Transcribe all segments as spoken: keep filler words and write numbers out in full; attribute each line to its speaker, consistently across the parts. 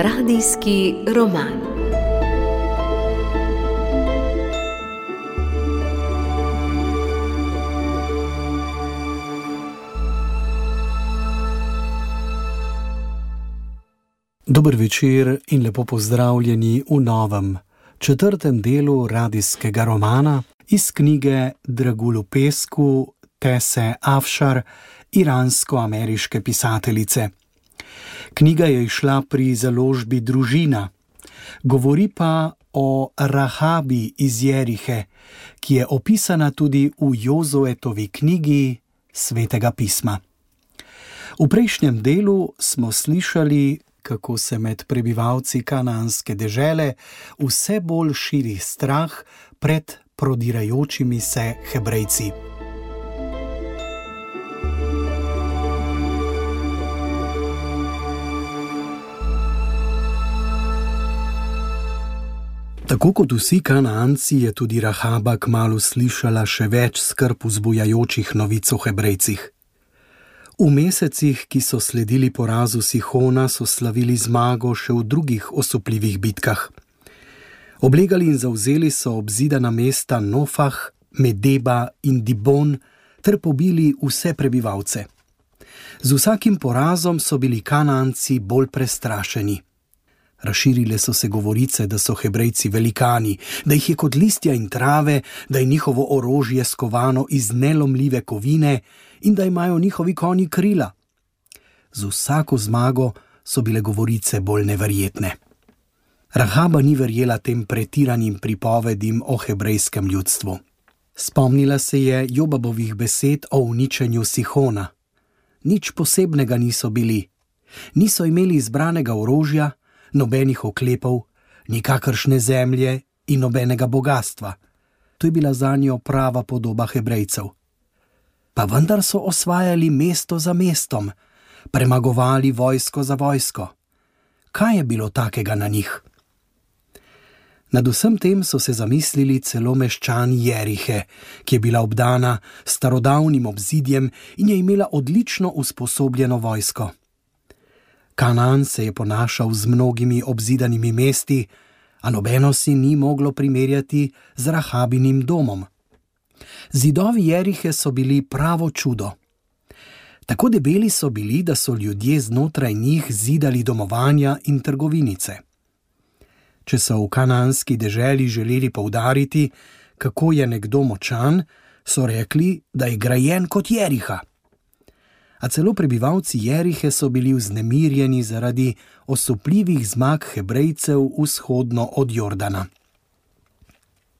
Speaker 1: Radijski roman.
Speaker 2: Dober večer in lepo pozdravljeni v novem, četrtem delu radijskega romana iz knjige Dragul v pesku Tese Afšar, iransko-ameriške pisateljice. Knjiga je izšla pri založbi Družina, govori pa o Rahabi iz Jerihe, ki je opisana tudi v Jozuetovi knjigi Svetega pisma. V prejšnjem delu smo slišali, kako se med prebivalci kanaanske dežele vse bolj širi strah pred prodirajočimi se Hebrejci. Tako kot vsi Kanaanci je tudi Rahaba kmalu slišala še več skrb vzbujajočih novic o Hebrejcih. V mesecih, ki so sledili porazu Sihona, so slavili zmago še v drugih osupljivih bitkah. Oblegali in zavzeli so obzidana mesta Nofah, Medeba in Dibon ter pobili vse prebivalce. Z vsakim porazom so bili Kanaanci bolj prestrašeni. Razširile so se govorice, da so Hebrejci velikani, da jih je kot listja in trave, da je njihovo orožje skovano iz nelomljive kovine in da imajo njihovi konji krila. Z vsako zmago so bile govorice bolj neverjetne. Rahaba ni verjela tem pretiranim pripovedim o hebrejskem ljudstvu. Spomnila se je Jobabovih besed o uničenju Sihona. Nič posebnega niso bili. Niso imeli izbranega orožja, nobenih oklepov, nikakršne zemlje in nobenega bogastva. To je bila zanjo prava podoba Hebrejcev. Pa vendar so osvajali mesto za mestom, premagovali vojsko za vojsko. Kaj je bilo takega na njih? Nad vsem tem so se zamislili celo meščani Jerihe, ki je bila obdana s starodavnim obzidjem in je imela odlično usposobljeno vojsko. Kanaan se je ponašal z mnogimi obzidanimi mesti, a nobeno si ni moglo primerjati z Rahabinim domom. Zidovi Jerihe so bili pravo čudo. Tako debeli so bili, da so ljudje znotraj njih zidali domovanja in trgovinice. Če so v kanaanski deželi želeli poudariti, kako je nekdo močan, so rekli, da je grajen kot Jeriha. A celo prebivalci Jerihe so bili vznemirjeni zaradi osupljivih zmag Hebrejcev vzhodno od Jordana.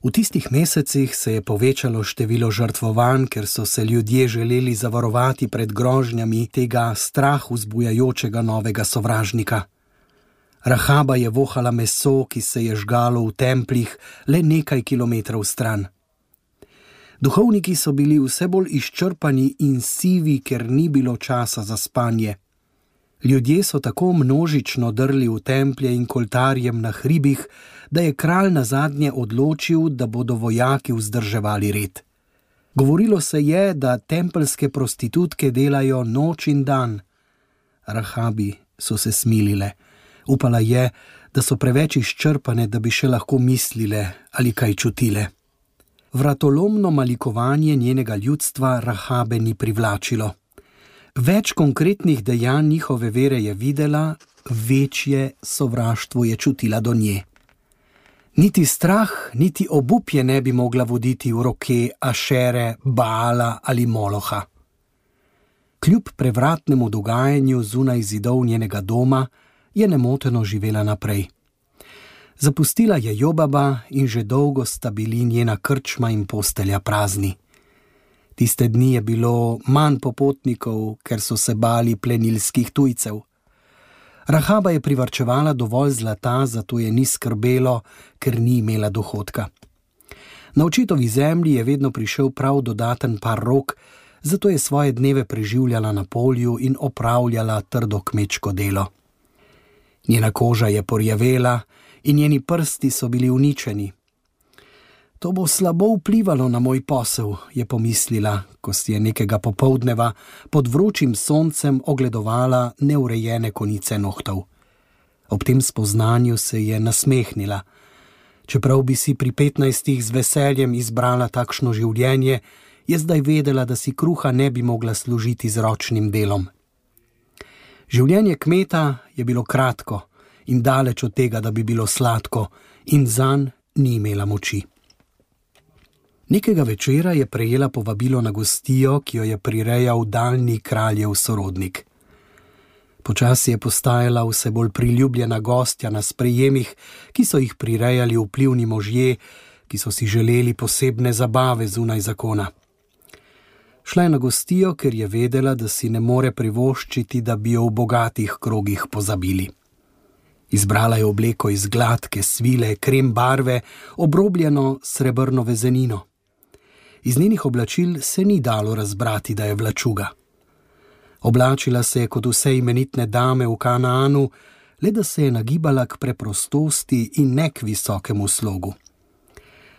Speaker 2: V tistih mesecih se je povečalo število žrtvovanj, ker so se ljudje želeli zavarovati pred grožnjami tega strah vzbujajočega novega sovražnika. Rahaba je vohala meso, ki se je žgalo v templih le nekaj kilometrov stran. Duhovniki so bili vse bolj izčrpani in sivi, ker ni bilo časa za spanje. Ljudje so tako množično drli v templje in k oltarjem na hribih, da je kralj nazadnje odločil, da bodo vojaki vzdrževali red. Govorilo se je, da tempeljske prostitutke delajo noč in dan. Rahabi so se smilile. Upala je, da so preveč izčrpane, da bi še lahko mislile ali kaj čutile. Vratolomno malikovanje njenega ljudstva Rahabe ni privlačilo. Več konkretnih dejanj njihove vere je videla, večje sovraštvo je čutila do nje. Niti strah, niti obup je ne bi mogla voditi v roke Ašere, Baala ali Moloha. Kljub prevratnemu dogajanju zunaj zidov njenega doma je nemoteno živela naprej. Zapustila je Jobaba in že dolgo sta bili njena krčma in postelja prazni. Tiste dni je bilo manj popotnikov, ker so se bali plenilskih tujcev. Rahaba je privarčevala dovolj zlata, zato je ni skrbelo, ker ni imela dohodka. Na očetovi zemlji je vedno prišel prav dodaten par rok, zato je svoje dneve preživljala na polju in opravljala trdo kmečko delo. Njena koža je porjavela in njeni prsti so bili uničeni. To bo slabo vplivalo na moj posel, je pomislila, ko si je nekega popoldneva pod vročim soncem ogledovala neurejene konice nohtov. Ob tem spoznanju se je nasmehnila. Čeprav bi si pri petnajstih z veseljem izbrala takšno življenje, je zdaj vedela, da si kruha ne bi mogla služiti z ročnim delom. Življenje kmeta je bilo kratko in daleč od tega, da bi bilo sladko, in zanj ni imela moči. Nekega večera je prejela povabilo na gostijo, ki jo je prirejal daljni kraljev sorodnik. Počasi je postajala vse bolj priljubljena gostja na sprejemih, ki so jih prirejali vplivni možje, ki so si želeli posebne zabave zunaj zakona. Šla je na gostijo, ker je vedela, da si ne more privoščiti, da bi jo v bogatih krogih pozabili. Izbrala je obleko iz gladke svile, krem barve, obrobljeno srebrno vezenino. Iz njenih oblačil se ni dalo razbrati, da je vlačuga. Oblačila se je kot vse imenitne dame v Kanaanu, le da se je nagibala k preprostosti in ne k visokemu slogu.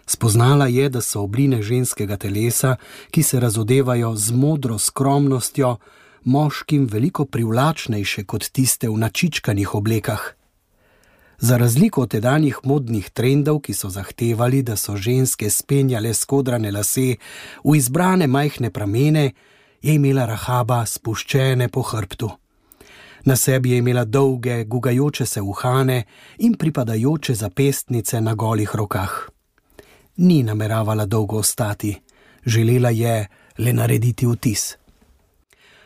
Speaker 2: Spoznala je, da so obline ženskega telesa, ki se razodevajo z modro skromnostjo, moškim veliko privlačnejše kot tiste v načičkanih oblekah. Za razliko od tedanjih modnih trendov, ki so zahtevali, da so ženske spenjale skodrane lase v izbrane majhne pramene, je imela Rahaba spuščene po hrbtu. Na sebi je imela dolge, gugajoče se uhane in pripadajoče zapestnice na golih rokah. Ni nameravala dolgo ostati, želela je le narediti vtis.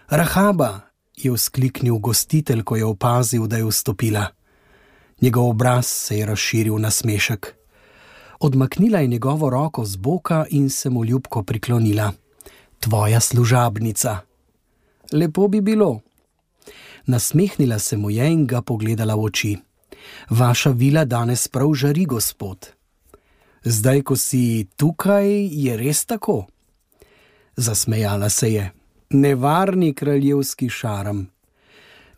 Speaker 2: Rahaba, je vzkliknil gostitelj, ko je opazil, da je vstopila. Njegov obraz se je razširil na smešek. Odmaknila je njegovo roko z boka in se mu ljubko priklonila. Tvoja služabnica. Lepo bi bilo. Nasmehnila se mu je in ga pogledala v oči. Vaša vila danes prav žari, gospod. Zdaj, ko si tukaj, je res tako? Zasmejala se je. Nevarni kraljevski šarm.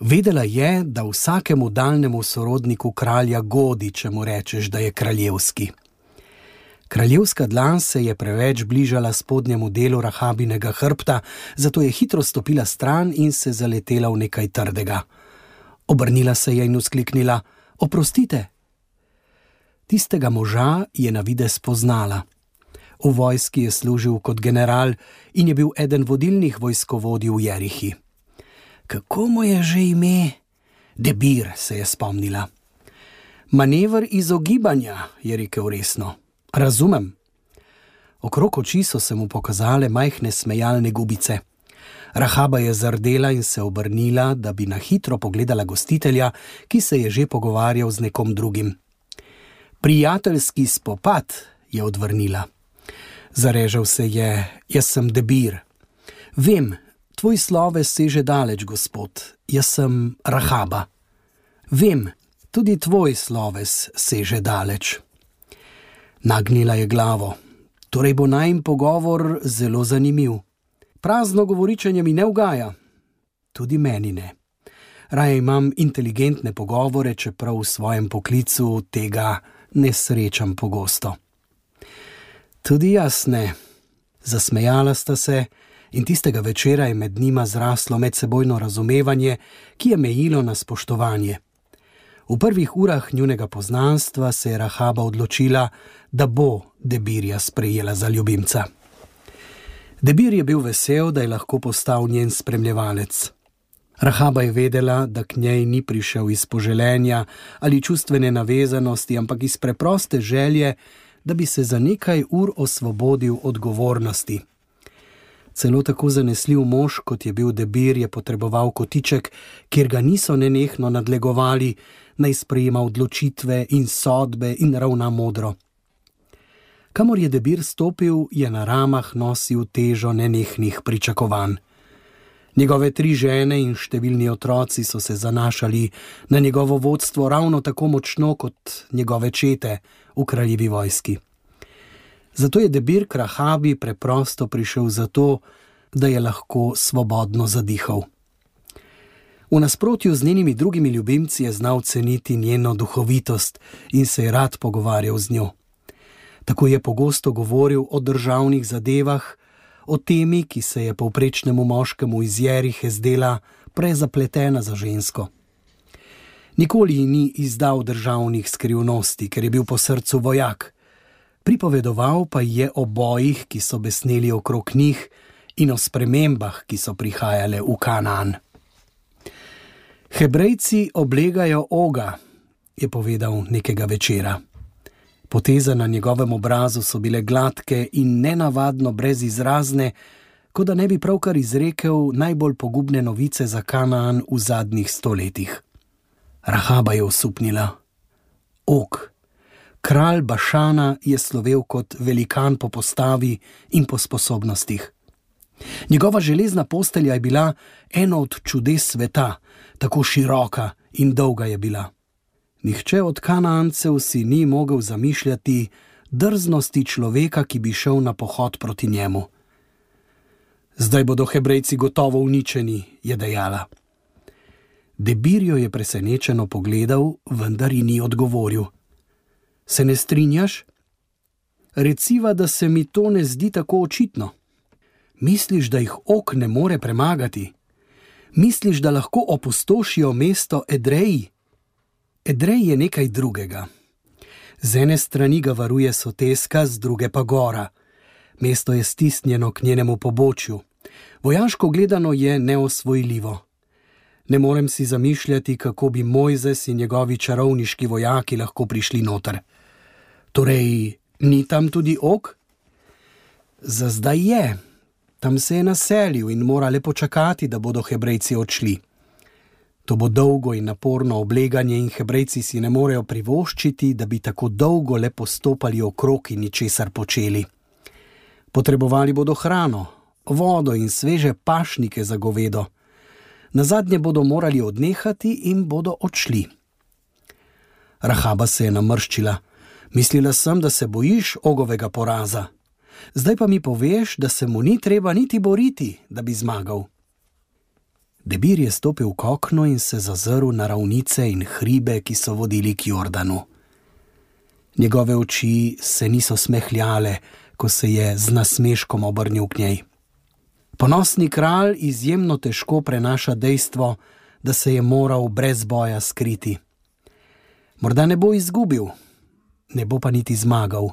Speaker 2: Vedela je, da vsakemu daljnemu sorodniku kralja godi, če mu rečeš, da je kraljevski. Kraljevska dlan se je preveč bližala spodnjemu delu Rahabinega hrbta, zato je hitro stopila stran in se zaletela v nekaj trdega. Obrnila se je in vzkliknila: Oprostite! Tistega moža je na videz poznala. V vojski je služil kot general in je bil eden vodilnih vojskovodij v Jerihi. Kako mu je že ime? Debir, se je spomnila. Manever izogibanja, je rekel resno. Razumem. Okrog oči so se mu pokazale majhne smejalne gubice. Rahaba je zardela in se obrnila, da bi na hitro pogledala gostitelja, ki se je že pogovarjal z nekom drugim. Prijateljski spopad, je odvrnila. Zarežal se je: Jaz sem Debir. Vem, tvoj sloves seže daleč, gospod. Jaz sem Rahaba. Vem, tudi tvoj sloves seže daleč. Nagnila je glavo. Torej bo najin pogovor zelo zanimiv. Prazno govoričenje mi ne ugaja. Tudi meni ne. Raje imam inteligentne pogovore, čeprav v svojem poklicu tega ne srečam pogosto. Tudi jaz ne. Zasmejala sta se in tistega večera je med njima zraslo medsebojno razumevanje, ki je mejilo na spoštovanje. V prvih urah njunega poznanstva se je Rahaba odločila, da bo Debirja sprejela za ljubimca. Debir je bil vesel, da je lahko postal njen spremljevalec. Rahaba je vedela, da k njej ni prišel iz poželenja ali čustvene navezanosti, ampak iz preproste želje, da bi se za nekaj ur osvobodil odgovornosti. Celo tako zanesljiv mož, kot je bil Debir, je potreboval kotiček, kjer ga niso nenehno nadlegovali, naj sprejema odločitve in sodbe in ravna modro. Kamor je Debir stopil, je na ramah nosil težo nenehnih pričakovanj. Njegove tri žene in številni otroci so se zanašali na njegovo vodstvo ravno tako močno kot njegove čete v kraljevi vojski. Zato je Debir k Rahabi preprosto prišel zato, da je lahko svobodno zadihal. V nasprotju z njenimi drugimi ljubimci je znal ceniti njeno duhovitost in se je rad pogovarjal z njo. Tako je pogosto govoril o državnih zadevah, o temi, ki se je povprečnemu moškemu iz Jerihe zdela prezapletena za žensko. Nikoli ni izdal državnih skrivnosti, ker je bil po srcu vojak. Pripovedoval pa je o bojih, ki so besneli okrog njih, in o spremembah, ki so prihajale v Kanaan. Hebrejci oblegajo Oga, je povedal nekega večera. Poteze na njegovem obrazu so bile gladke in nenavadno brezizrazne, kot da ne bi pravkar izrekel najbolj pogubne novice za Kanaan v zadnjih stoletjih. Rahaba je osupnila. Og, kralj Bašana, je slovel kot velikan po postavi in po sposobnostih. Njegova železna postelja je bila eno od čudes sveta, tako široka in dolga je bila. Nihče od Kanaancev si ni mogel zamišljati drznosti človeka, ki bi šel na pohod proti njemu. Zdaj bodo Hebrejci gotovo uničeni, je dejala. Debir jo je presenečeno pogledal, vendar ji ni odgovoril. Se ne strinjaš? Reciva, da se mi to ne zdi tako očitno. Misliš, da jih Og ne more premagati? Misliš, da lahko opustošijo mesto Edreji? Edrej je nekaj drugega. Z ene strani ga varuje soteska, z druge pa gora. Mesto je stisnjeno k njenemu pobočju. Vojaško gledano je neosvojljivo. Ne morem si zamišljati, kako bi Mojzes in njegovi čarovniški vojaki lahko prišli noter. Torej, ni tam tudi Og? Za zdaj je. Tam se je naselil in mora le počakati, da bodo Hebrejci odšli. To bo dolgo in naporno obleganje in Hebrejci si ne morejo privoščiti, da bi tako dolgo le postopali okrog in ničesar počeli. Potrebovali bodo hrano, vodo in sveže pašnike za govedo. Nazadnje bodo morali odnehati in bodo odšli. Rahaba se je namrščila. Mislila sem, da se bojiš Ogovega poraza. Zdaj pa mi poveš, da se mu ni treba niti boriti, da bi zmagal. Debir je stopil k oknu in se zazrl na ravnice in hribe, ki so vodili k Jordanu. Njegove oči se niso smehljale, ko se je z nasmeškom obrnil k njej. Ponosni kralj izjemno težko prenaša dejstvo, da se je moral brez boja skriti. Morda ne bo izgubil, ne bo pa niti zmagal.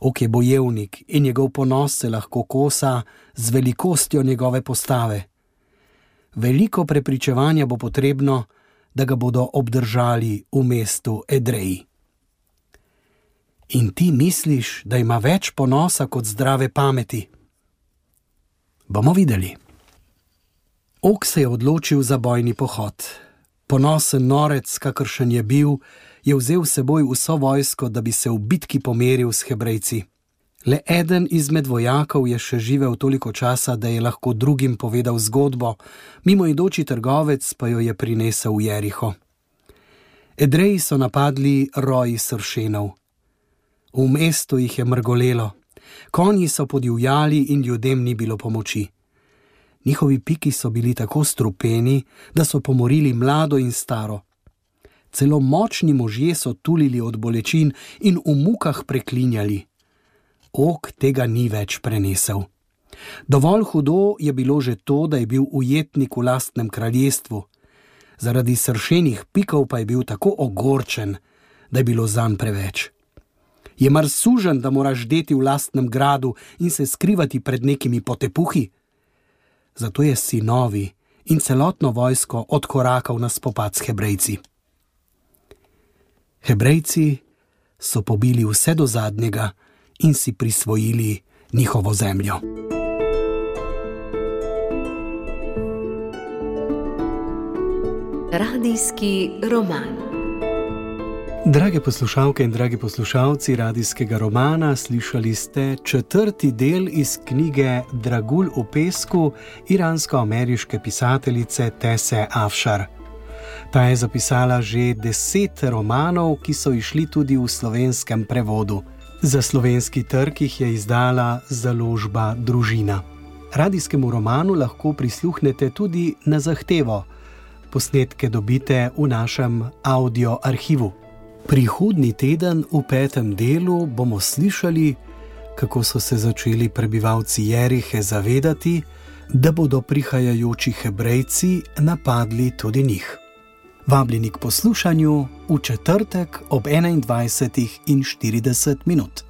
Speaker 2: Og je bojevnik in njegov ponos se lahko kosa z velikostjo njegove postave. Veliko prepričevanja bo potrebno, da ga bodo obdržali v mestu Edreji. In ti misliš, da ima več ponosa kot zdrave pameti? Bomo videli. Og se je odločil za bojni pohod. Ponosen norec, kakršen je bil, je vzel s seboj vso vojsko, da bi se v bitki pomeril s Hebrejci. Le eden izmed vojakov je še živel toliko časa, da je lahko drugim povedal zgodbo, mimoidoči trgovec pa jo je prinesel v Jeriho. Edreji so napadli roji sršenov. V mestu jih je mrgolelo, konji so podivjali in ljudem ni bilo pomoči. Njihovi piki so bili tako strupeni, da so pomorili mlado in staro. Celo močni možje so tulili od bolečin in v mukah preklinjali. Og tega ni več prenesel. Dovolj hudo je bilo že to, da je bil ujetnik v lastnem kraljestvu. Zaradi sršenih pikov pa je bil tako ogorčen, da je bilo zanj preveč. Je mar suženj, da moraš deti v lastnem gradu in se skrivati pred nekimi potepuhi? Zato je sinovi in celotno vojsko odkorakal na spopad s Hebrejci. Hebrejci so pobili vse do zadnjega in si prisvojili njihovo zemljo.
Speaker 1: Radijski roman.
Speaker 2: Drage poslušalke in dragi poslušalci radijskega romana, slišali ste četrti del iz knjige Dragulj v pesku iransko-ameriške pisateljice Tese Afšar. Ta je zapisala že deset romanov, ki so išli tudi v slovenskem prevodu. Za slovenski trg jih je izdala založba Družina. Radijskemu romanu lahko prisluhnete tudi na zahtevo. Posnetke dobite v našem audio arhivu. Prihodnji teden v petem delu bomo slišali, kako so se začeli prebivalci Jerihe zavedati, da bodo prihajajoči Hebrejci napadli tudi njih. Vabljeni k poslušanju v četrtek ob enaindvajsetih in štirideset minut.